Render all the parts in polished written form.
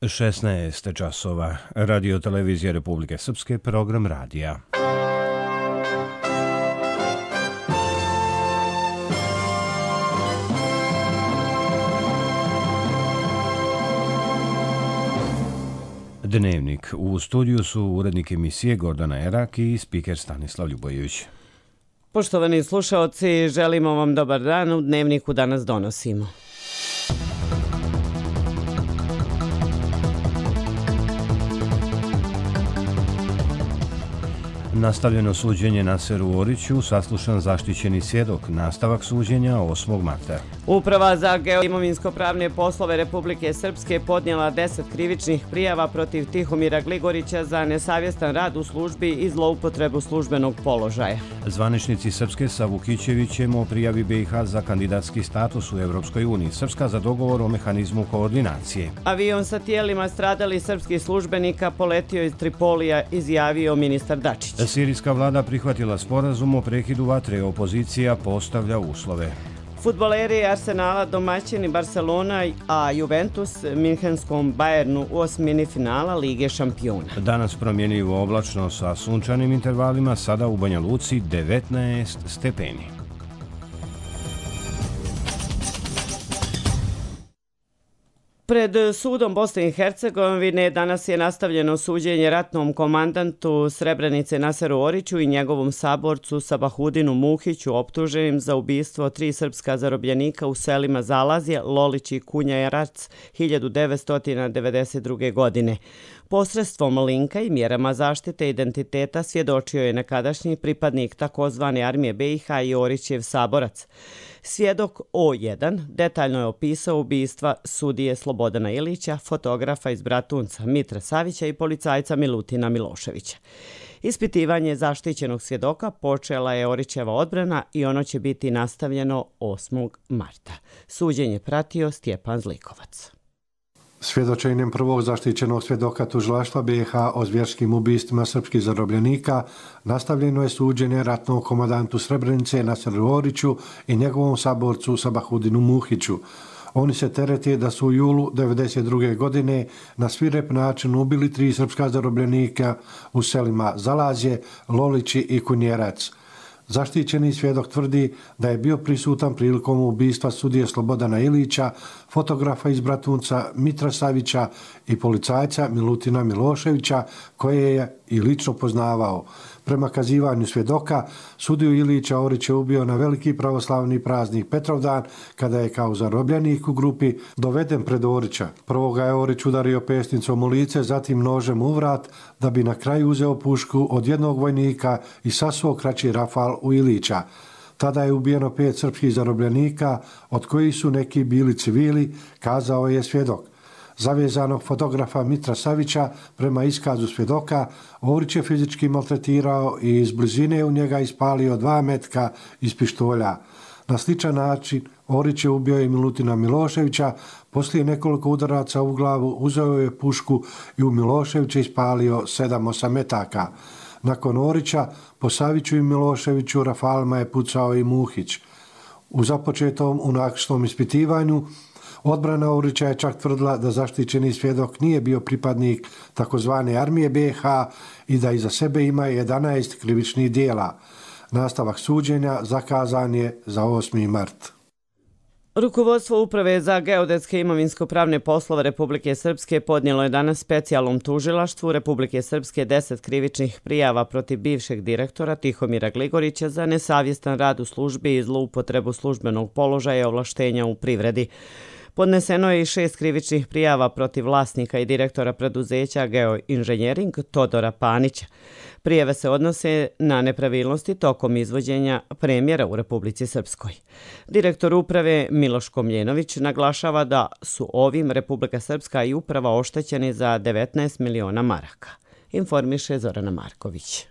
16 časova. Radio televizije Republike Srpske, program radija. Dnevnik. U studiju su urednik emisije Gordana Erak i spiker Stanislav Ljubojević. Poštovani slušaoci, želimo vam dobar dan. U Dnevniku danas donosimo. Nastavljeno suđenje Naseru Oriću, saslušan zaštićeni svjedok, nastavak suđenja 8. marta. Uprava za geoimovinsko-pravne poslove Republike Srpske podnijela 10 krivičnih prijava protiv Tihomira Gligorića za nesavjestan rad u službi i zloupotrebu službenog položaja. Zvaničnici Srpske sa Vukićevićem o prijavi BiH za kandidatski status u Evropskoj uniji, Srpska za dogovor o mehanizmu koordinacije. Avion sa tijelima stradalih srpskih službenika poletio iz Tripolija, izjavio ministar Dačić. Sirijska vlada prihvatila sporazum o prekidu vatre, opozicija postavlja uslove. Fudbaleri Arsenala domaćini Barcelona, a Juventus Minhenskom Bayernu u osmini finala Lige šampiona. Danas promjenjivo oblačno sa sunčanim intervalima, sada u Banja Luci 19 stepeni. Pred sudom Bosne i Hercegovine danas je nastavljeno suđenje ratnom komandantu Srebrenice Naseru Oriću i njegovom saborcu Sabahudinu Muhiću, optuženim za ubistvo 3 srpska zarobljenika u selima Zalazje, Lolić i Kunjarac 1992. godine. Posredstvom linka i mjerama zaštite identiteta svjedočio je nekadašnji pripadnik takozvane armije BiH i Orićev saborac. Svjedok O1 detaljno je opisao ubistva sudije Slobodana Ilića, fotografa iz Bratunca Mitra Savića i policajca Milutina Miloševića. Ispitivanje zaštićenog svjedoka počela je Orićeva odbrana i ono će biti nastavljeno 8. marta. Suđenje pratio Stjepan Zlikovac. Svjedočenjem prvog zaštićenog svjedoka tužilaštva BiH o zvjerskim ubistvima srpskih zarobljenika nastavljeno je suđenje ratnom komandantu Srebrenice Naseru Oriću i njegovom saborcu Sabahudinu Muhiću. Oni se terete da su u julu 1992. godine na svirep način ubili 3 srpska zarobljenika u selima Zalazje, Lolići i Kunjerac. Zaštićeni svjedok tvrdi da je bio prisutan prilikom ubistva sudije Slobodana Ilića, fotografa iz Bratunca Mitra Savića i policajca Milutina Miloševića, koje je i lično poznavao. Prema kazivanju svjedoka, sudiju Ilića Orić je ubio na veliki pravoslavni praznik Petrovdan, kada je kao zarobljenik u grupi doveden pred Orića. Prvo ga je Orić udario pesnicom u lice, zatim nožem u vrat, da bi na kraju uzeo pušku od jednog vojnika i sasuo kraći rafal u Ilića. Tada je ubijeno 5 srpskih zarobljenika, od kojih su neki bili civili, kazao je svjedok. Zavezanog fotografa Mitra Savića, prema iskazu svjedoka, Orić je fizički maltretirao i iz blizine u njega ispalio 2 metka iz pištolja. Na sličan način Orić je ubio i Milutina Miloševića, poslije nekoliko udaraca u glavu uzeo je pušku i u Miloševića ispalio 7-8 metaka. Nakon Orića, po Saviću i Miloševiću rafalima je pucao i Muhić. U započetom unakrsnom ispitivanju odbrana Orića je čak tvrdila da zaštićeni svjedok nije bio pripadnik takozvane armije BiH i da iza sebe ima 11 krivičnih dijela. Nastavak suđenja zakazan je za 8. mart. Rukovodstvo Uprave za geodetske imovinsko-pravne poslove Republike Srpske podnijelo je danas specijalnom tužilaštvu Republike Srpske 10 krivičnih prijava protiv bivšeg direktora Tihomira Gligorića za nesavjestan rad u službi i zloupotrebu službenog položaja i ovlaštenja u privredi. Podneseno je i 6 krivičnih prijava protiv vlasnika i direktora preduzeća Geoinženjering Todora Panića. Prijave se odnose na nepravilnosti tokom izvođenja premjera u Republici Srpskoj. Direktor uprave Miloš Komljenović naglašava da su ovim Republika Srpska i uprava oštećeni za 19 miliona maraka. Informiše Zorana Marković.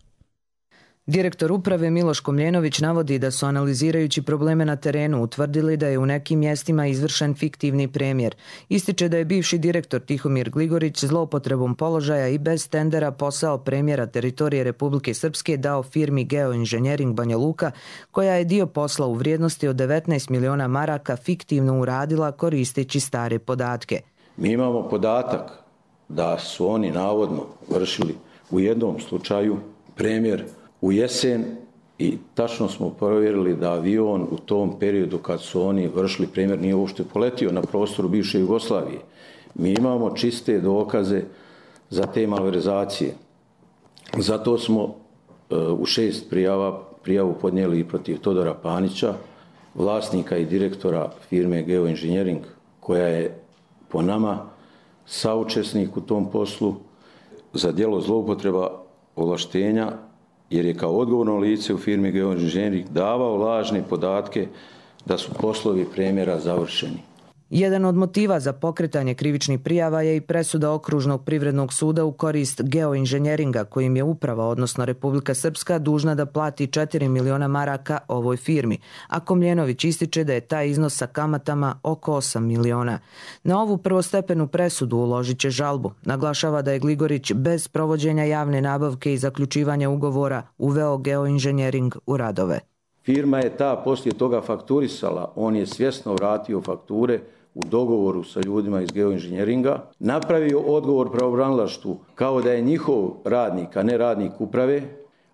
Direktor uprave Miloš Komljenović navodi da su analizirajući probleme na terenu utvrdili da je u nekim mjestima izvršen fiktivni premjer. Ističe da je bivši direktor Tihomir Gligorić zloupotrebom položaja i bez tendera posao premjera teritorije Republike Srpske dao firmi Geoinženjering Banja Luka, koja je dio posla u vrijednosti od 19 miliona maraka fiktivno uradila koristeći stare podatke. Mi imamo podatak da su oni navodno vršili u jednom slučaju premjer u jesen i tačno smo provjerili da avion u tom periodu kad su oni vršili premjer nije uopšte poletio na prostoru bivše Jugoslavije. Mi imamo čiste dokaze za te malverzacije. Zato smo u 6 prijavu podnijeli i protiv Todora Panića, vlasnika i direktora firme Geoengineering, koja je po nama saučesnik u tom poslu za djelo zloupotreba ovlaštenja, jer je kao odgovorno lice u firmi Geoengineering davao lažne podatke da su poslovi premjera završeni. Jedan od motiva za pokretanje krivičnih prijava je i presuda Okružnog privrednog suda u korist Geoengineeringa, kojim je uprava, odnosno Republika Srpska, dužna da plati 4 miliona maraka ovoj firmi, a Komljenović ističe da je taj iznos sa kamatama oko 8 miliona. Na ovu prvostepenu presudu uložit će žalbu. Naglašava da je Gligorić bez provođenja javne nabavke i zaključivanja ugovora uveo Geoengineering u radove. Firma je ta poslije toga fakturisala, on je svjesno vratio fakture u dogovoru sa ljudima iz Geoengineeringa, napravio odgovor pravobranilaštvu kao da je njihov radnik, a ne radnik uprave,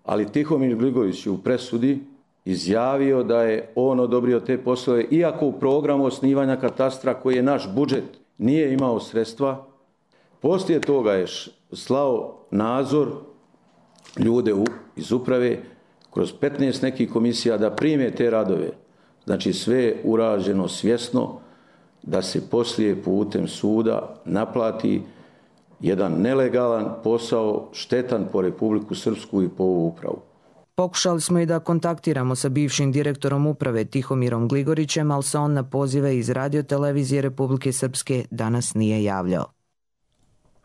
ali Tihomir Gligorić je u presudi izjavio da je on odobrio te poslove, iako u programu osnivanja katastra koji je naš budžet nije imao sredstva. Poslije toga je slao nadzor ljude iz uprave kroz 15 nekih komisija da prime te radove. Znači sve je urađeno svjesno da se poslije putem suda naplati jedan nelegalan posao, štetan po Republiku Srpsku i po ovu upravu. Pokušali smo i da kontaktiramo sa bivšim direktorom uprave Tihomirom Gligorićem, ali se on na pozive iz Radio-televizije Republike Srpske danas nije javljao.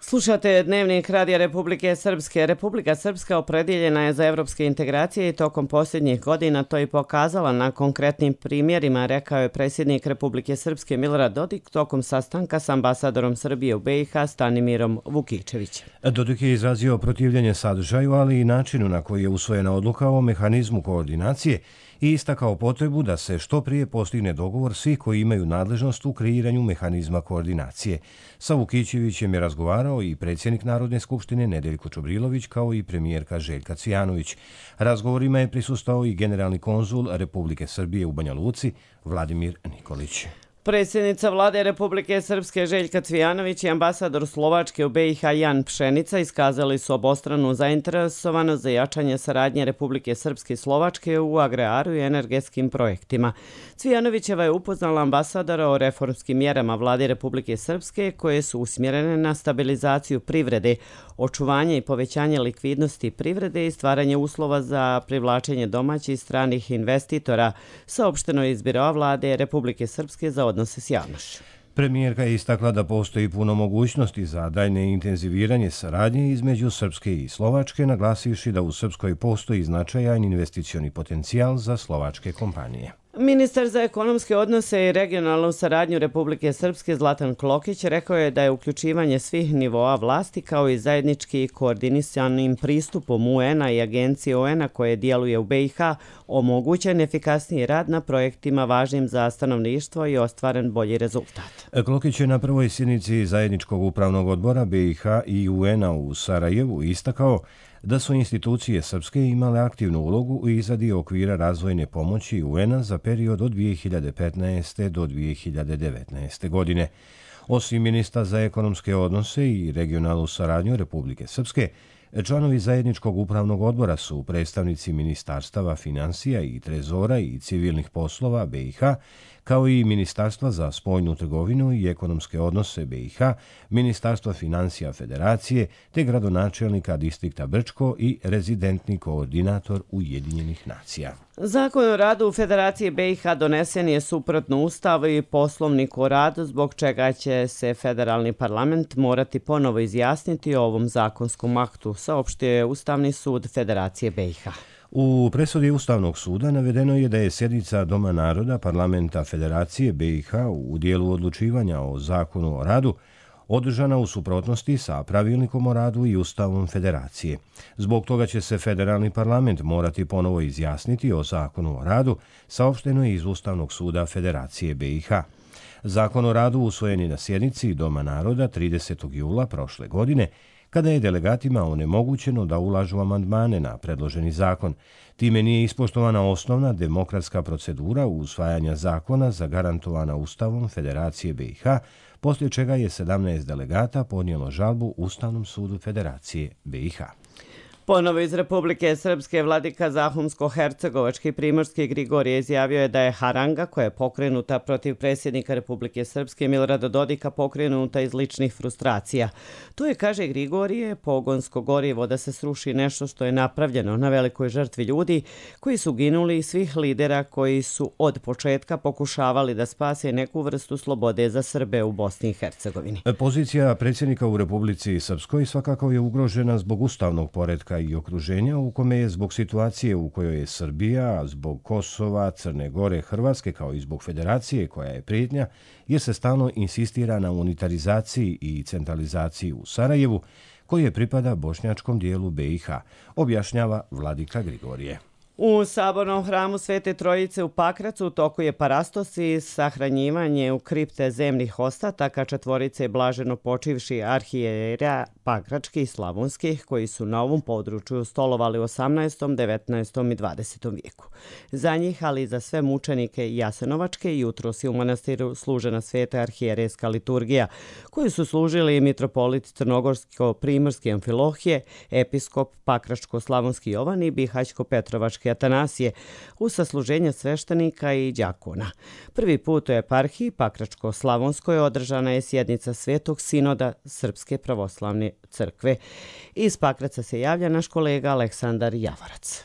Slušate Dnevnik Radija Republike Srpske. Republika Srpska opredjeljena je za evropske integracije i tokom posljednjih godina to i pokazala na konkretnim primjerima, rekao je predsjednik Republike Srpske Milorad Dodik tokom sastanka s ambasadorom Srbije u BiH Stanimirom Vukičevićem. Dodik je izrazio protivljenje sadržaju, ali i načinu na koji je usvojena odluka o mehanizmu koordinacije i istakao potrebu da se što prije postigne dogovor svih koji imaju nadležnost u kreiranju mehanizma koordinacije. Sa Vukićevićem je razgovarao i predsjednik Narodne skupštine Nedeljko Čobrilović kao i premijerka Željka Cvijanović. Razgovorima je prisustvovao i generalni konzul Republike Srbije u Banja Luci Vladimir Nikolić. Predsjednica vlade Republike Srpske Željka Cvijanović i ambasador Slovačke u BiH Jan Pšenica iskazali su obostranu zainteresovanost za jačanje saradnje Republike Srpske i Slovačke u agraru i energetskim projektima. Cvijanovićeva je upoznala ambasadora o reformskim mjerama vlade Republike Srpske koje su usmjerene na stabilizaciju privrede, očuvanje i povećanje likvidnosti privrede i stvaranje uslova za privlačenje domaćih i stranih investitora, saopšteno je iz Biroa vlade Republike Srpske za odnose s javnošću. Premijerka je istakla da postoji puno mogućnosti za daljne intenziviranje saradnje između Srpske i Slovačke, naglasivši da u Srpskoj postoji značajan investicioni potencijal za slovačke kompanije. Ministar za ekonomske odnose i regionalnu saradnju Republike Srpske Zlatan Klokić rekao je da je uključivanje svih nivoa vlasti kao i zajednički koordinisanim pristupom UN-a i agencije UN-a koje djeluje u BiH omogućen efikasniji rad na projektima važnim za stanovništvo i ostvaren bolji rezultat. Klokić je na prvoj sjednici zajedničkog upravnog odbora BiH i UN-a u Sarajevu istakao da su institucije Srpske imale aktivnu ulogu u izradi okvira razvojne pomoći UN-a za period od 2015. do 2019. godine. Osim ministra za ekonomske odnose i regionalnu saradnju Republike Srpske, članovi zajedničkog upravnog odbora su predstavnici ministarstava financija i trezora i civilnih poslova BiH, kao i Ministarstva za spoljnu trgovinu i ekonomske odnose BiH, Ministarstva financija Federacije, te gradonačelnika distrikta Brčko i rezidentni koordinator Ujedinjenih nacija. Zakon o radu u Federaciji BiH donesen je suprotno Ustavu i Poslovniku o radu, zbog čega će se federalni parlament morati ponovo izjasniti o ovom zakonskom aktu, saopštio je Ustavni sud Federacije BiH. U presudi Ustavnog suda navedeno je da je sjednica Doma naroda Parlamenta Federacije BiH u dijelu odlučivanja o zakonu o radu održana u suprotnosti sa pravilnikom o radu i Ustavom Federacije. Zbog toga će se federalni parlament morati ponovo izjasniti o zakonu o radu, saopšteno je iz Ustavnog suda Federacije BiH. Zakon o radu usvojen je na sjednici Doma naroda 30. jula prošle godine, kada je delegatima onemogućeno da ulažu amandmane na predloženi zakon. Time nije ispoštovana osnovna demokratska procedura usvajanja zakona zagarantovana Ustavom Federacije BiH, poslije čega je 17 delegata podnijelo žalbu Ustavnom sudu Federacije BiH. Ponovo iz Republike Srpske vladika Zahumsko-hercegovački primorski Grigorije izjavio je da je haranga koja je pokrenuta protiv predsjednika Republike Srpske Milorada Dodika pokrenuta iz ličnih frustracija. To je, kaže Grigorije, pogonsko gorivo da se sruši nešto što je napravljeno na velikoj žrtvi ljudi koji su ginuli i svih lidera koji su od početka pokušavali da spase neku vrstu slobode za Srbe u Bosni i Hercegovini. Pozicija predsjednika u Republici Srpskoj svakako je ugrožena zbog ustavnog poretka i okruženja u kome je zbog situacije u kojoj je Srbija, zbog Kosova, Crne Gore, Hrvatske kao i zbog federacije koja je prijetnja, jer se stalno insistira na unitarizaciji i centralizaciji u Sarajevu, koje pripada bošnjačkom dijelu BiH, objašnjava vladika Grigorije. U Sabornom hramu Svete Trojice u Pakracu u toku je parastos i sahranjivanje u kripte zemnih ostataka četvorice blaženo počivši arhijera pakračkih i slavonskih koji su na ovom području stolovali u 18., 19. i 20. vijeku. Za njih, ali i za sve mučenike jasenovačke, jutros je u manastiru služena sveta arhijerejska liturgija, koju su služili mitropolit Crnogorsko-primorski Amfilohije, episkop Pakračko-slavonski Jovan i Bihać-Petrovački Atanasije, u sasluženja sveštenika i đakona. Prvi put u eparhiji Pakračko-slavonskoj održana je sjednica Svetog sinoda Srpske pravoslavne crkve. Iz Pakraca se javlja naš kolega Aleksandar Javorac.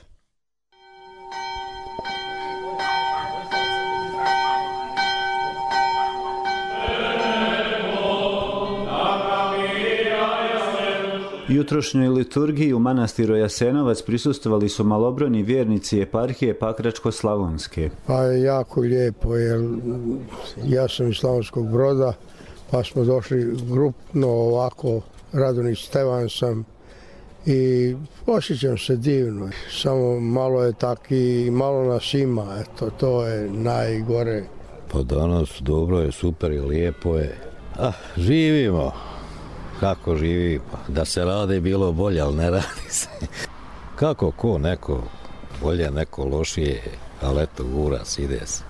Jutrošnjoj liturgiji u manastiru Jasenovac prisustvovali su malobrojni vjernici eparhije Pakračko-slavonske. Pa je jako lijepo, jer ja sam iz Slavonskog Broda, pa smo došli grupno ovako, Radonić Stevan sam i osjećam se divno. Samo malo je tak i malo nas ima, eto, to je najgore. Pa danas dobro je, super i lijepo je. Živimo. Kako živi, pa da se radi bilo bolje, ali ne radi se. Kako ko, neko bolje, neko lošije, ali eto, gura se, ide se.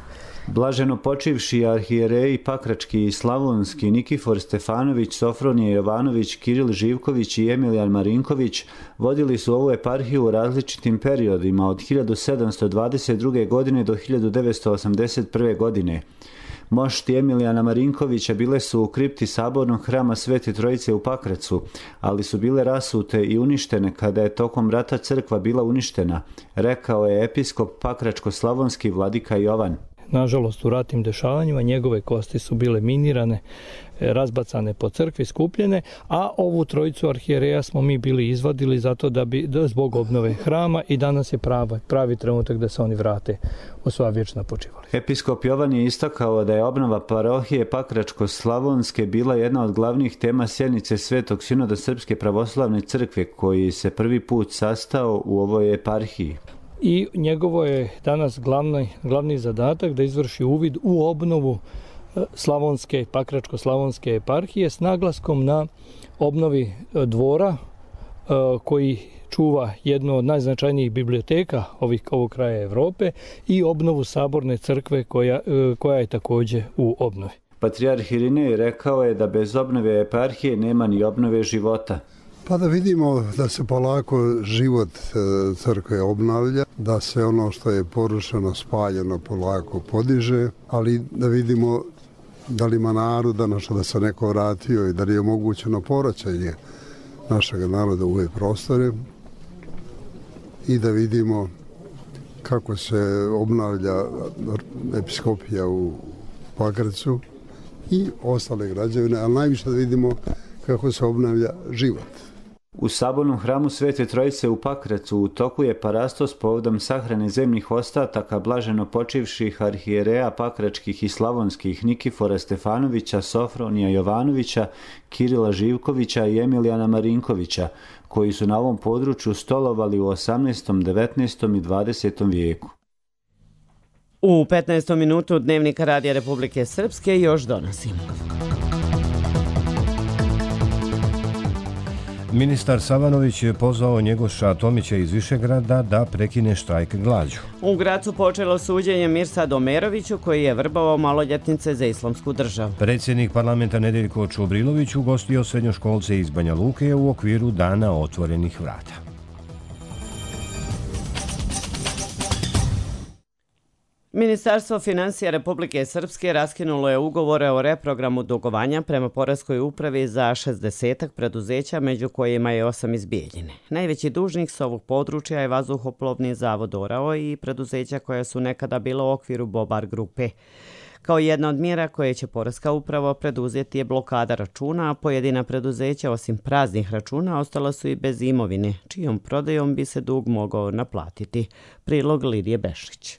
Blaženo počivši arhijereji Pakrački i Slavonski Nikifor Stefanović, Sofronije Jovanović, Kiril Živković i Emilijan Marinković vodili su ovu eparhiju u različitim periodima od 1722. godine do 1981. godine. Mošti Emilijana Marinkovića bile su u kripti Sabornog hrama Svete Trojice u Pakracu, ali su bile rasute i uništene kada je tokom rata crkva bila uništena, rekao je episkop Pakračko-slavonski vladika Jovan. Nažalost, u ratnim dešavanjima njegove kosti su bile minirane, razbacane po crkvi, skupljene, a ovu trojicu arhijereja smo mi bili izvadili zato zbog obnove hrama i danas je pravi trenutak da se oni vrate u svoja vječna počivališta. Episkop Jovan je istakao da je obnova parohije Pakračko-slavonske bila jedna od glavnih tema sjednice Svetog sinoda Srpske pravoslavne crkve koji se prvi put sastao u ovoj eparhiji. I njegovo je danas glavni zadatak da izvrši uvid u obnovu slavonske, Pakračko-slavonske eparhije s naglaskom na obnovi dvora koji čuva jednu od najznačajnijih biblioteka ovog kraja Evrope i obnovu Saborne crkve koja je također u obnovi. Patrijarh Irinej rekao je da bez obnove eparhije nema ni obnove života. Pa da vidimo da se polako život crkve obnavlja, da se ono što je porušeno, spaljeno polako podiže, ali da vidimo da li ima naroda, da se neko vratio i da li je omogućeno povraćanje našeg naroda u ove prostore i da vidimo kako se obnavlja episkopija u Pakracu i ostale građevine, ali najviše da vidimo kako se obnavlja život. U Sabornom hramu Svete Trojice u Pakracu u toku je parastos povodom sahrane zemnih ostataka blaženo počivših arhijereja pakračkih i slavonskih Nikifora Stefanovića, Sofronija Jovanovića, Kirila Živkovića i Emilijana Marinkovića, koji su na ovom području stolovali u 18., 19. i 20. vijeku. U 15. minutu Dnevnika Radija Republike Srpske još donosimo. Ministar Savanović je pozvao Njegoša Tomića iz Višegrada da prekine štrajk glađu. U Gracu počelo suđenje Mirsadu Omeroviću koji je vrbao maloljetnice za Islamsku državu. Predsjednik parlamenta Nedeljko Čubrilović ugostio srednjoškolce iz Banja Luke u okviru Dana otvorenih vrata. Ministarstvo financija Republike Srpske raskinulo je ugovore o reprogramu dugovanja prema Poreskoj upravi za 60 preduzeća, među kojima je 8 iz Bijeljine. Najveći dužnik s ovog područja je Vazduhoplovni zavod Orao i preduzeća koja su nekada bila u okviru Bobar grupe. Kao jedna od mjera koje će Poreska uprava preduzeti je blokada računa, a pojedina preduzeća osim praznih računa ostala su i bez imovine, čijom prodajom bi se dug mogao naplatiti. Prilog Lidije Bešić.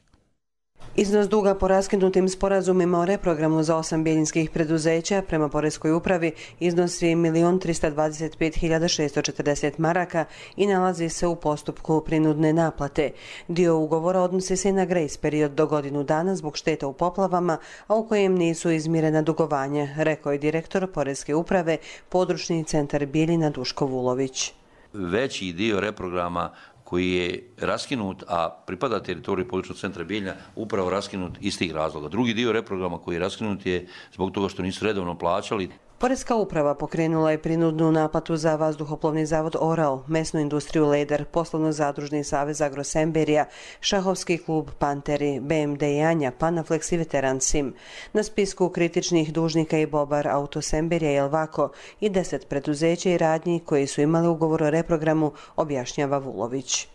Iznos duga po raskinutim sporazumima o reprogramu za 8 bijeljinskih preduzeća prema Poreskoj upravi iznosi 1.325.640 maraka i nalazi se u postupku prinudne naplate. Dio ugovora odnosi se na grace period do godinu dana zbog šteta u poplavama, a u kojem nisu izmirena dugovanja, rekao je direktor Poreske uprave, područni centar Bijeljina Duško Vulović. Veći dio reprograma koji je raskinut, a pripada teritoriji područnog centra Bijeljina, upravo raskinut iz tih razloga. Drugi dio reprograma koji je raskinut je zbog toga što nisu redovno plaćali. Poreska uprava pokrenula je prinudnu naplatu za Vazduhoplovni zavod Orao, mesnu industriju Leder, poslovno-zadružni savez Agrosemberija, šahovski klub Panteri, BMD Janja, Panaflex i Veteran Sim. Na spisku kritičnih dužnika i Bobar Autosemberija i Elvako i 10 preduzeća i radnji koji su imali ugovor o reprogramu, objašnjava Vulović.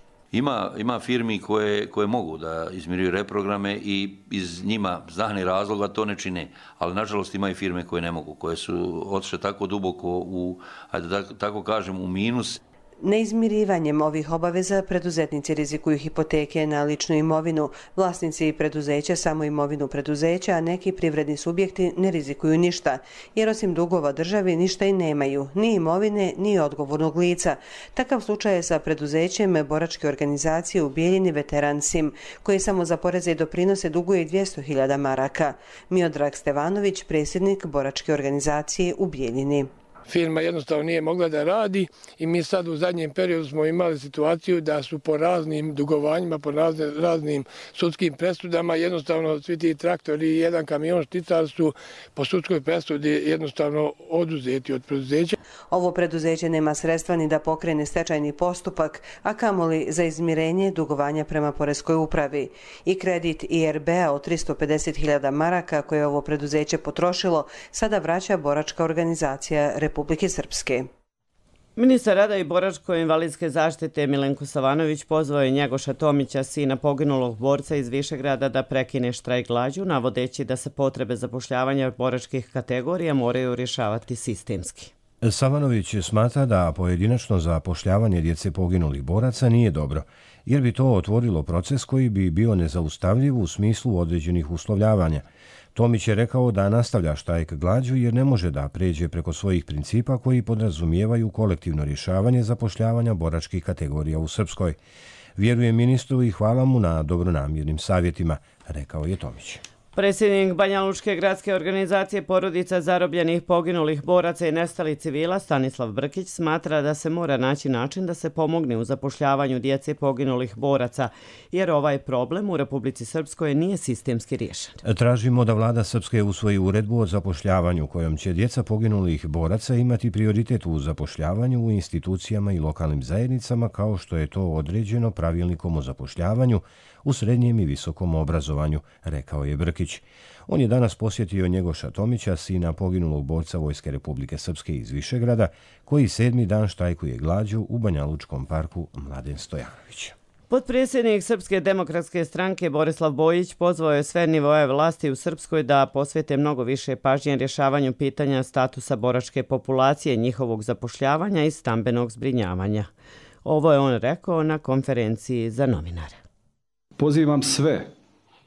Ima firmi koje mogu da izmiruju reprograme i iz njima znanih razloga to ne čine, ali nažalost ima i firme koje ne mogu, koje su otišle tako duboko u, ajde da tako kažem, u minus. Neizmirivanjem ovih obaveza preduzetnici rizikuju hipoteke na ličnu imovinu, vlasnici preduzeća samo imovinu preduzeća, a neki privredni subjekti ne rizikuju ništa, jer osim dugova državi ništa i nemaju, ni imovine, ni odgovornog lica. Takav slučaj je sa preduzećem boračke organizacije u Bijeljini Veteran Sim, koji samo za poreze i doprinose duguje 200.000 maraka. Miodrag Stevanović, predsjednik boračke organizacije u Bijeljini. Firma jednostavno nije mogla da radi i mi sad u zadnjem periodu smo imali situaciju da su po raznim dugovanjima, po raznim sudskim presudama jednostavno svi ti traktori i jedan kamion šticar su po sudskoj presudi jednostavno oduzeti od preduzeća. Ovo preduzeće nema sredstva ni da pokrene stečajni postupak, a kamoli za izmirenje dugovanja prema Poreskoj upravi. I kredit IRB-a od 350.000 maraka koje je ovo preduzeće potrošilo sada vraća boračka organizacija Republike Srpske. Ministar rada i boračko-invalidske zaštite Milenko Savanović pozvao je Njegoša Tomića, sina poginulog borca iz Višegrada, da prekine štrajk glađu, navodeći da se potrebe zapošljavanja boračkih kategorija moraju rješavati sistemski. Savanović smatra da pojedinačno zapošljavanje djece poginulih boraca nije dobro, jer bi to otvorilo proces koji bi bio nezaustavljiv u smislu određenih uslovljavanja. Tomić je rekao da nastavlja štrajk glađu jer ne može da pređe preko svojih principa koji podrazumijevaju kolektivno rješavanje zapošljavanja boračkih kategorija u Srpskoj. Vjerujem ministru i hvala mu na dobronamjernim savjetima, rekao je Tomić. Predsjednik Banjalučke gradske organizacije porodica zarobljenih poginulih boraca i nestalih civila Stanislav Brkić smatra da se mora naći način da se pomogne u zapošljavanju djece poginulih boraca, jer ovaj problem u Republici Srpskoj nije sistemski riješen. Tražimo da vlada Srpske usvoji uredbu o zapošljavanju kojom će djeca poginulih boraca imati prioritet u zapošljavanju u institucijama i lokalnim zajednicama kao što je to određeno pravilnikom o zapošljavanju u srednjem i visokom obrazovanju, rekao je Brkić. On je danas posjetio Njegoša Tomića, sina poginulog borca Vojske Republike Srpske iz Višegrada, koji 7. dan štrajkuje glađu u Banjalučkom parku Mladen Stojanović. Potpredsjednik Srpske demokratske stranke Borislav Bojić pozvao je sve nivoe vlasti u Srpskoj da posvete mnogo više pažnje rješavanju pitanja statusa boračke populacije, njihovog zapošljavanja i stambenog zbrinjavanja. Ovo je on rekao na konferenciji za novinare. Pozivam sve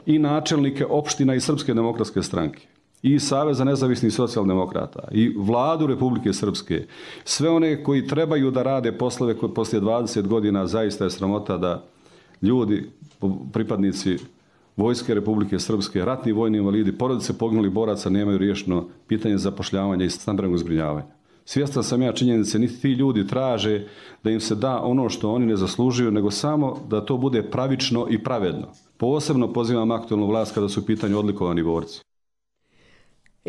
i načelnike opština i Srpske demokratske stranke i Saveza nezavisnih socijaldemokrata i vladu Republike Srpske, sve one koji trebaju da rade poslove koje poslije 20 godina zaista je sramota da ljudi, pripadnici Vojske Republike Srpske, ratni vojni invalidi, porodice poginulih boraca nemaju riješeno pitanje zapošljavanja i stambenog zbrinjavanja. Svjestan sam ja činjenice, niti ti ljudi traže da im se da ono što oni ne zaslužuju, nego samo da to bude pravično i pravedno. Posebno pozivam aktualnu vlast kada su u pitanju odlikovani borci.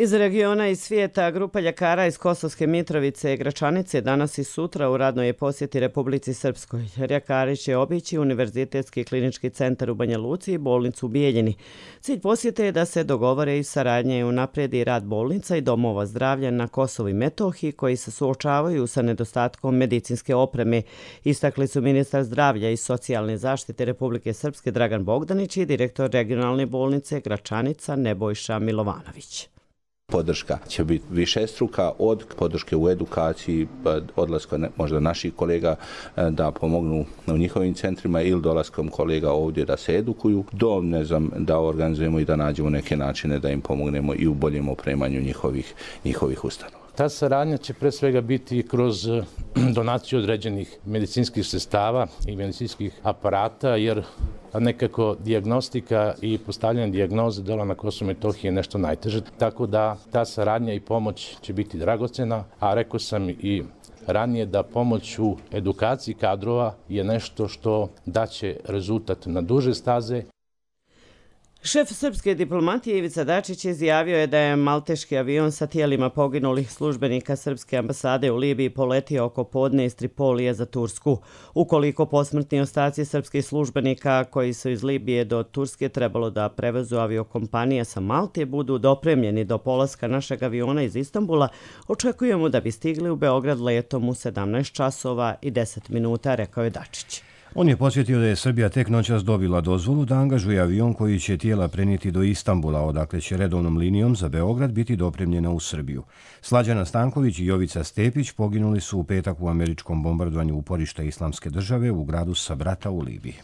Iz regiona i svijeta grupa ljekara iz Kosovske Mitrovice i Gračanice danas i sutra u radnoj posjeti Republici Srpskoj. Ljekari će obići Univerzitetski klinički centar u Banja Luci i bolnicu u Bijeljini. Cilj posjete je da se dogovore i saradnje i unaprijedi rad bolnica i domova zdravlja na Kosovu i Metohiji koji se suočavaju sa nedostatkom medicinske opreme. Istakli su ministar zdravlja i socijalne zaštite Republike Srpske Dragan Bogdanić i direktor regionalne bolnice Gračanica Nebojša Milovanović. Podrška će biti višestruka, od podrške u edukaciji, odlaska možda naših kolega da pomognu u njihovim centrima ili dolaskom kolega ovdje da se edukuju, do da organizujemo i da nađemo neke načine da im pomognemo i u boljem opremanju njihovih ustanova. Ta saradnja će pre svega biti kroz donaciju određenih medicinskih sredstava i medicinskih aparata, jer nekako dijagnostika i postavljanje dijagnoze dole na Kosovu i Metohiji je nešto najteže. Tako da ta saradnja i pomoć će biti dragocena, a rekao sam i ranije da pomoć u edukaciji kadrova je nešto što daće rezultat na duže staze. Šef srpske diplomatije Ivica Dačić izjavio je da je malteški avion sa tijelima poginulih službenika srpske ambasade u Libiji poletio oko podne iz Tripolije za Tursku. Ukoliko posmrtni ostaci srpskih službenika koji su iz Libije do Turske trebalo da prevezu aviokompanije sa Malte budu dopremljeni do polaska našeg aviona iz Istanbula, očekujemo da bi stigli u Beograd letom u 17 časova i 10 minuta, rekao je Dačić. On je podsjetio da je Srbija tek noćas dobila dozvolu da angažuje avion koji će tijela prenijeti do Istanbula, odakle će redovnom linijom za Beograd biti dopremljena u Srbiju. Slađana Stanković i Jovica Stepić poginuli su u petak u američkom bombardovanju uporišta Islamske države u gradu Sabrata u Libiji.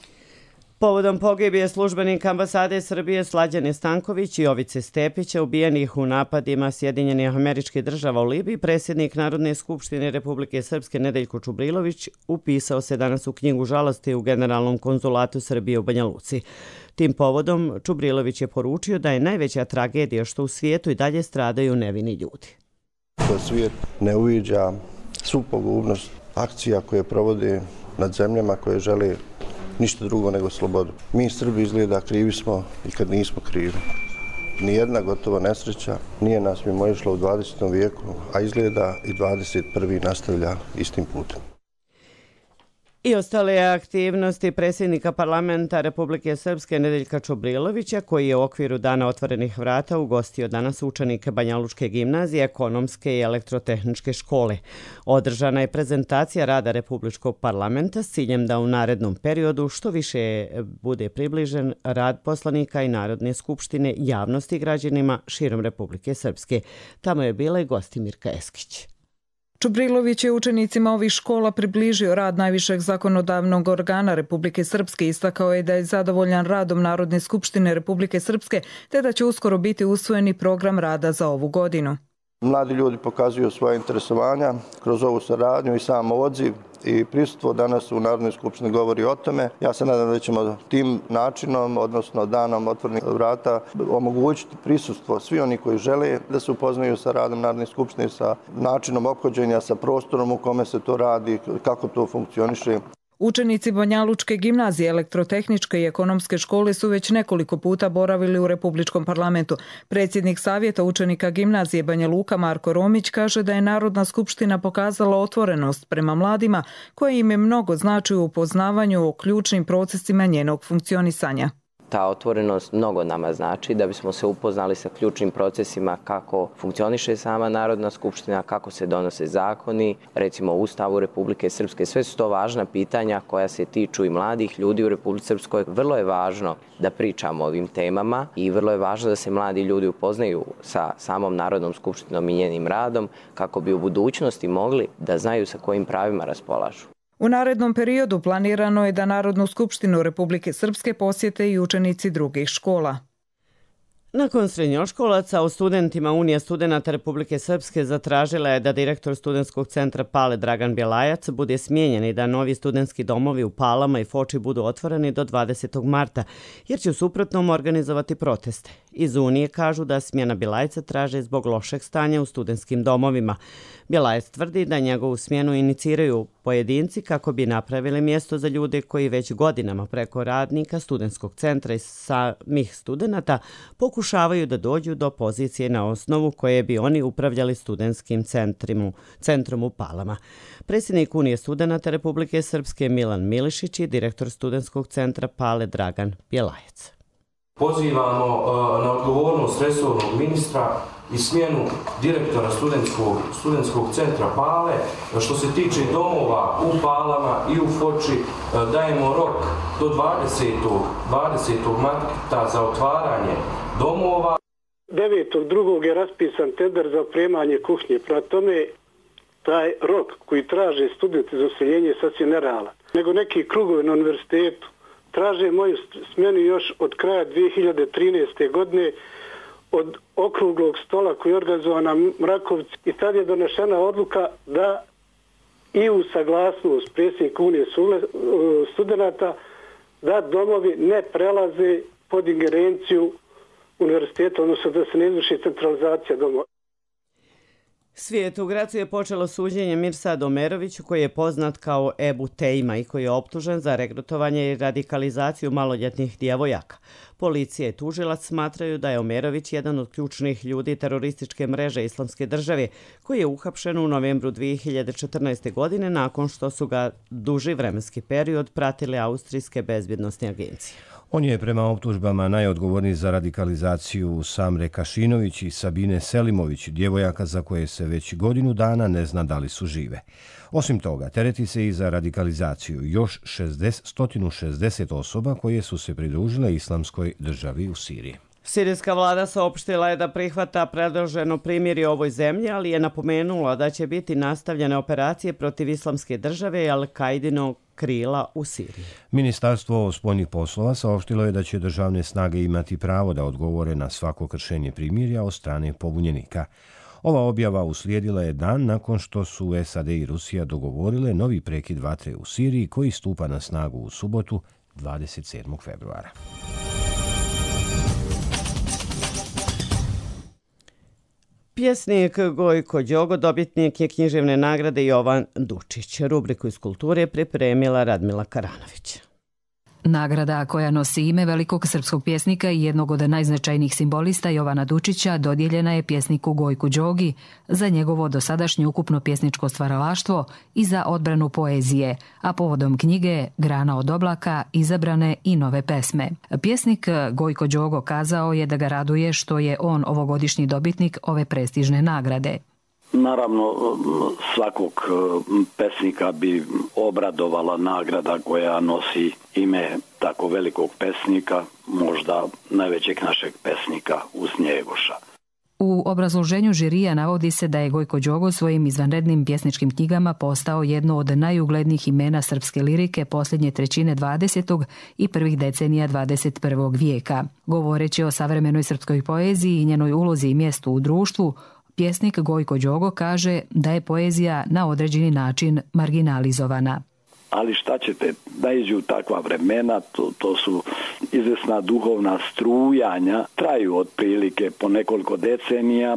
Povodom pogibije službenika ambasade Srbije Slađane Stanković i Jovice Stepića ubijenih u napadima Sjedinjenih Američkih Država u Libiji, predsjednik Narodne skupštine Republike Srpske Nedeljko Čubrilović upisao se danas u knjigu žalosti u Generalnom konzulatu Srbije u Banja Luci. Tim povodom Čubrilović je poručio da je najveća tragedija što u svijetu i dalje stradaju nevini ljudi. Da svijet ne uviđa svu pogubnost akcija koje provode nad zemljama koje žele ništa drugo nego slobodu. Mi Srbi izgleda krivi smo i kad nismo krivi. Nijedna gotova nesreća nije nas mimoišla u 20. vijeku, a izgleda i 21. nastavlja istim putem. I ostale aktivnosti predsjednika parlamenta Republike Srpske Nedeljka Čubrilovića, koji je u okviru Dana otvorenih vrata ugostio danas učenike Banjalučke gimnazije, ekonomske i elektrotehničke škole. Održana je prezentacija rada Republičkog parlamenta s ciljem da u narednom periodu što više bude približen rad poslanika i Narodne skupštine javnosti građanima širom Republike Srpske. Tamo je bila i Gostimirka Eskić. Čubrilović je učenicima ovih škola približio rad najvišeg zakonodavnog organa Republike Srpske, istakao je da je zadovoljan radom Narodne skupštine Republike Srpske te da će uskoro biti usvojeni program rada za ovu godinu. Mladi ljudi pokazuju svoje interesovanja kroz ovu saradnju i sam odziv i prisustvo danas u Narodnoj skupštini govori o tome. Ja se nadam da ćemo tim načinom, odnosno danom otvorenih vrata, omogućiti prisustvo svi oni koji žele da se upoznaju sa radom Narodne skupštine, sa načinom ophođenja, sa prostorom u kome se to radi, kako to funkcioniše. Učenici Banjalučke gimnazije, elektrotehničke i ekonomske škole su već nekoliko puta boravili u Republičkom parlamentu. Predsjednik Savjeta učenika gimnazije Banja Luka Marko Romić kaže da je Narodna skupština pokazala otvorenost prema mladima koje im je mnogo znači u upoznavanju o ključnim procesima njenog funkcionisanja. Ta otvorenost mnogo nama znači da bismo se upoznali sa ključnim procesima kako funkcioniše sama Narodna skupština, kako se donose zakoni, recimo u Ustavu Republike Srpske. Sve su to važna pitanja koja se tiču i mladih ljudi u Republici Srpskoj. Vrlo je važno da pričamo o ovim temama i vrlo je važno da se mladi ljudi upoznaju sa samom Narodnom skupštinom i njenim radom kako bi u budućnosti mogli da znaju sa kojim pravima raspolažu. U narednom periodu planirano je da Narodnu skupštinu Republike Srpske posjete i učenici drugih škola. Nakon srednjoškolaca, o studentima Unija studenata Republike Srpske zatražila je da direktor studentskog centra Pale Dragan Bjelajac bude smijenjen i da novi studentski domovi u Palama i Foči budu otvoreni do 20. marta, jer će u suprotnom organizovati proteste. Iz Unije kažu da smjena Bjelajca traže zbog lošeg stanja u studentskim domovima. Bjelajac tvrdi da njegovu smjenu iniciraju pojedinci kako bi napravili mjesto za ljude koji već godinama preko radnika studentskog centra i samih studenata pokušavaju da dođu do pozicije na osnovu koje bi oni upravljali studentskim centrom u Palama. Predsjednik Unije studenata Republike Srpske Milan Milišić i direktor studentskog centra Pale Dragan Bjelajac. Pozivamo na odgovornost resornog ministra i smjenu direktora studentskog centra Pale. Što se tiče domova u Palama i u Foči, dajemo rok do 20. marta za otvaranje domova. 9.2. je raspisan tender za opremanje kušnje. Prema tome, taj rok koji traže studenti za useljenje je sasvim nerealan. Nego neki krugovi na univerzitetu traže moju smjenu još od kraja 2013. godine od okruglog stola koji je organizovan na Mrakovci i tad je donešena odluka da i u saglasnost predsjednika Unije studenata da domovi ne prelaze pod ingerenciju univerziteta, odnosno da se ne izvrši centralizacija domova. Svijet u Gracu je počelo suđenje Mirsadu Omeroviću, koji je poznat kao Ebu Tejma i koji je optužen za regrutovanje i radikalizaciju maloljetnih djevojaka. Policija i tužilac smatraju da je Omerović jedan od ključnih ljudi terorističke mreže Islamske države, koji je uhapšen u novembru 2014. godine nakon što su ga duži vremenski period pratile austrijske bezbjednosne agencije. On je prema optužbama najodgovorniji za radikalizaciju Samre Kašinović i Sabine Selimović, djevojaka za koje se već godinu dana ne zna da li su žive. Osim toga, tereti se i za radikalizaciju još 160 osoba koje su se pridružile Islamskoj državi u Siriji. Sirijska vlada saopštila je da prihvata predloženo primirje ovoj zemlji, ali je napomenula da će biti nastavljene operacije protiv Islamske države i Al-Kaidinog krila u Siriji. Ministarstvo spoljnih poslova saopštilo je da će državne snage imati pravo da odgovore na svako kršenje primirja od strane pobunjenika. Ova objava uslijedila je dan nakon što su SAD i Rusija dogovorile novi prekid vatre u Siriji koji stupa na snagu u subotu 27. februara. Pjesnik Gojko Đogo dobitnik je književne nagrade Jovan Dučić. Rubriku iz kulture pripremila Radmila Karanović. Nagrada koja nosi ime velikog srpskog pjesnika i jednog od najznačajnijih simbolista Jovana Dučića dodijeljena je pjesniku Gojku Đogi za njegovo dosadašnje ukupno pjesničko stvaralaštvo i za odbranu poezije, a povodom knjige Grana od oblaka izabrane i nove pesme. Pjesnik Gojko Đogo kazao je da ga raduje što je on ovogodišnji dobitnik ove prestižne nagrade. Naravno, svakog pesnika bi obradovala nagrada koja nosi ime tako velikog pesnika, možda najvećeg našeg pesnika uz Njegoša. U obrazloženju žirija navodi se da je Gojko Đogo svojim izvanrednim pjesničkim knjigama postao jedno od najuglednijih imena srpske lirike posljednje trećine 20. i prvih decenija 21. vijeka. Govoreći o savremenoj srpskoj poeziji i njenoj ulozi i mjestu u društvu, pjesnik Gojko Đogo kaže da je poezija na određeni način marginalizovana. Ali šta ćete, da iđu takva vremena, to su izvesna duhovna strujanja, traju otprilike po nekoliko decenija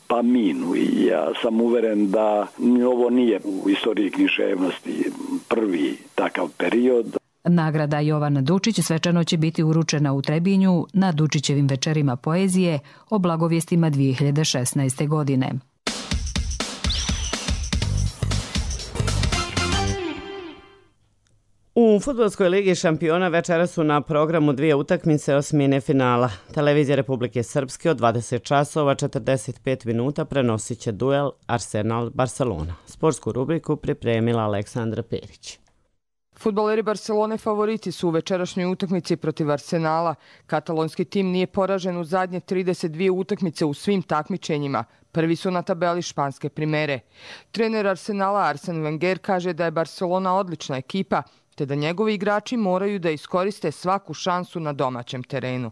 pa minu. I ja sam uveren da ovo nije u istoriji književnosti prvi takav period. Nagrada Jovan Dučić svečano će biti uručena u Trebinju na Dučićevim večerima poezije o blagovijestima 2016. godine. U Fudbalskoj ligi šampiona večeras su na programu dvije utakmice osmine finala. Televizija Republike Srpske od 20 časova 45 minuta prenosit će duel Arsenal-Barcelona. Sportsku rubriku pripremila Aleksandra Perić. Fudbaleri Barcelone favoriti su u večerašnjoj utakmici protiv Arsenala. Katalonski tim nije poražen u zadnje 32 utakmice u svim takmičenjima. Prvi su na tabeli španske primere. Trener Arsenala Arsene Wenger kaže da je Barcelona odlična ekipa, te da njegovi igrači moraju da iskoriste svaku šansu na domaćem terenu.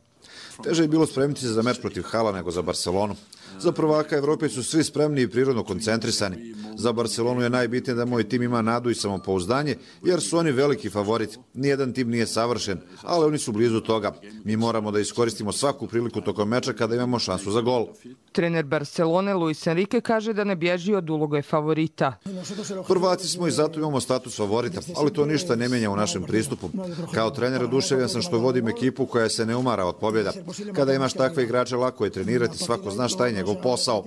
Teže je bilo spremiti se za meč protiv Hala nego za Barcelonu. Za prvaka Evrope su svi spremni i prirodno koncentrisani. Za Barcelonu je najbitnije da moj tim ima nadu i samopouzdanje, jer su oni veliki favorit. Nijedan tim nije savršen, ali oni su blizu toga. Mi moramo da iskoristimo svaku priliku tokom meča kada imamo šansu za gol. Trener Barcelone Luis Enrique kaže da ne bježi od uloge favorita. Prvaci smo i zato imamo status favorita, ali to ništa ne mijenja u našem pristupu. Kao trener oduševljen sam što vodim ekipu koja se ne umara od pobjeda. Kada imaš takve igrače, lako je trenirati, svako zna šta je njegov posao.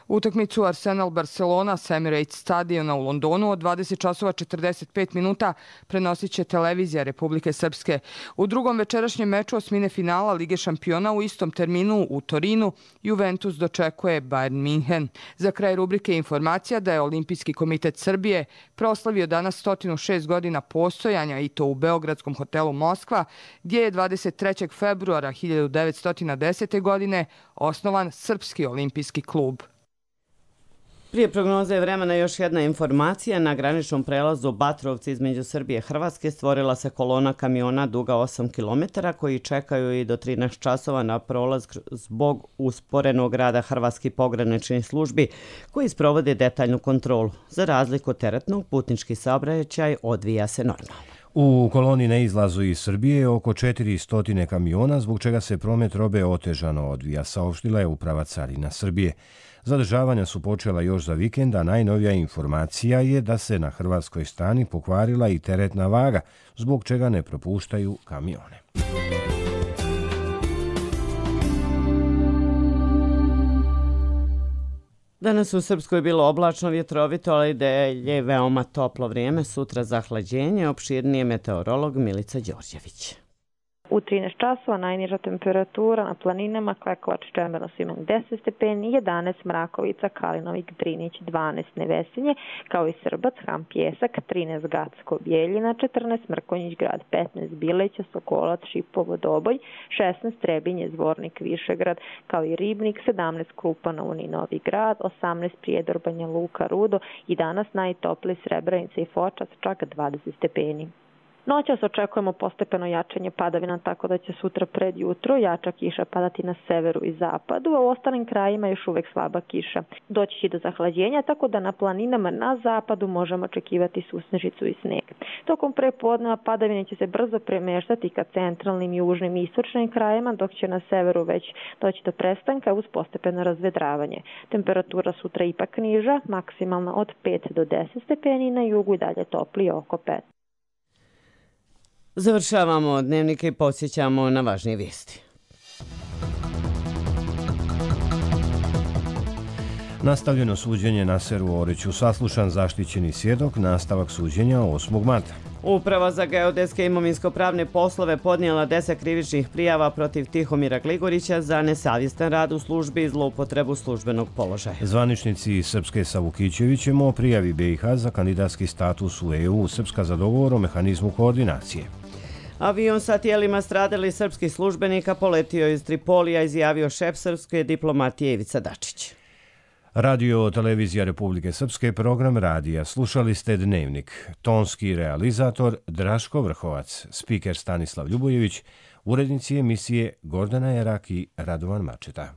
Utakmicu Arsenal-Barcelona sa Emirates stadiona u Londonu od 20:45 prenosit će televizija Republike Srpske. U drugom večerašnjem meču osmine finala Lige šampiona u istom terminu u Torinu Juventus dočekuje Bayern Minhen. Za kraj rubrike informacija da je Olimpijski komitet Srbije proslavio danas 106 godina postojanja i to u Beogradskom hotelu Moskva, gdje je 23. februara 1910. godine osnovan Srpski olimpijski klub. Prije prognoze vremena još jedna informacija. Na graničnom prelazu Batrovci između Srbije i Hrvatske stvorila se kolona kamiona duga 8 km koji čekaju i do 13 časova na prolaz zbog usporenog rada hrvatskih pograničnih službi koji sprovode detaljnu kontrolu. Za razliku od teretnog, putnički saobraćaj odvija se normalno. U koloni na izlazu iz Srbije je oko 400 kamiona, zbog čega se promet robe otežano odvija, saopštila je Uprava carina Srbije. Zadržavanja su počela još za vikend, a najnovija informacija je da se na hrvatskoj strani pokvarila i teretna vaga, zbog čega ne propuštaju kamione. Danas u Srpskoj bilo oblačno, vjetrovito, ali da je veoma toplo vrijeme. Sutra zahlađenje, opširnije meteorolog Milica Đorđević. U 13 časova najniža temperatura na planinama Klekovac, Čemerno, Simen 10 stepeni, 11 Mrakovica, Kalinovik, Drinić 12 Nevesinje, kao i Srbac, Ham, Pjesak 13 Gacko, Bijeljina 14 Mrkonjić grad, 15 Bileća, Sokolac, Šipovo, Doboj, 16 Trebinje, Zvornik, Višegrad, kao i Ribnik, 17 Krupanov i Novi grad, 18 Prijedor, Banja Luka, Rudo i danas najtopliji Srebrenica i Fočac, čak 20 stepeni. Noćas očekujemo postepeno jačanje padavina, tako da će sutra pred jutro jača kiša padati na severu i zapadu, a u ostalim krajima još uvek slaba kiša. Doći će do zahlađenja, tako da na planinama na zapadu možemo očekivati susnežicu i sneg. Tokom prepodneva padavine će se brzo premeštati ka centralnim, južnim i istočnim krajima, dok će na severu već doći do prestanka uz postepeno razvedravanje. Temperatura sutra ipak niža, maksimalna od 5 do 10 stepeni, na jugu i dalje toplije oko 5. Završavamo dnevnike i podsjećamo na važnije vijesti. Nastavljeno suđenje Naseru Oriću, saslušan zaštićeni svjedok, nastavak suđenja 8. marta. Uprava za geodetske imovinsko-pravne poslove podnijela 10 krivičnih prijava protiv Tihomira Gligorića za nesavjestan rad u službi i zloupotrebu službenog položaja. Zvaničnici Srpske sa Vukićevićem o prijavi BiH za kandidatski status u EU, Srpska za dogovor o mehanizmu koordinacije. Avion sa tijelima stradalih srpskih službenika poletio iz Tripolija, izjavio šef srpske diplomatije Ivica Dačić. Radio Televizija Republike Srpske, program radija. Slušali ste Dnevnik. Tonski realizator Draško Vrhovac, spiker Stanislav Ljubojević, urednici emisije Gordana Jerak i Radovan Mačeta.